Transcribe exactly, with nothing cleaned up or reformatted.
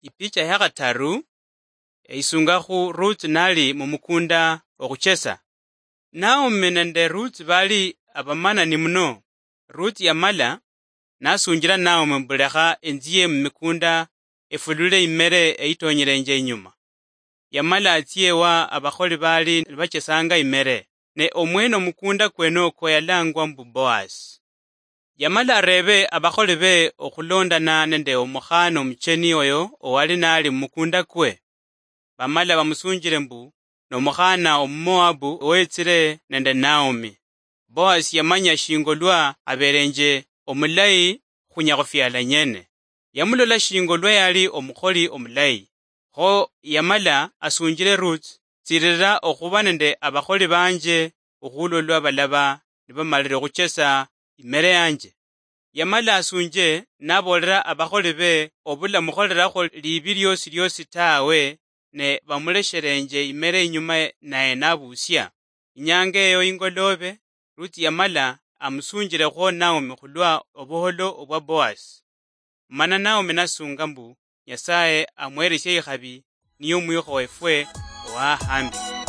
Ipicha ya khataru, eisungakhu Ruth nali mumukunda okhuchesa. Naomi nende Ruth bali abamanani muno. Ruth yamala nasunjila Naomi mbu, "Lekha enzie mumikunda efulule imere eyitonyelenje inyuma." Yamala atsia ewa abakholi bali nibachesanga imere, ne omwene omukunda kwenoko yalangwa mbu Boaz. Yamala arebe abakholi be okhulondana nende omukhana omucheni oyo owali nali mumukunda kwe. Bamala bamusunjile mbu, "Nomukhana Omumoabu owetsile nende Naomi." Boaz yamanya shingo lwa abelenje omulayi khunya khufiala nyene. Yamulola shingo lwa yali omukholi omulayi. Kho yamala asunjile Ruth, "Tsilila okhuba nende abakholi banje okhulwa lwa balaba nibamalile okhuchesa imere yanje." Yamala asunje naboolera abakholi be obula mukholerakho liibi liosi liosi tawe, ne bamuleshelenje imere inyuma naye nabuusia. Inyanga eyo ingoloobe, Ruth yamala amusunjilekhwo Naomi khulwa obuholo obwa Boaz. Mana Naomi nasunga mbu Nyasaye amwelesie ikhabi niye omwikho wefwe owahambi.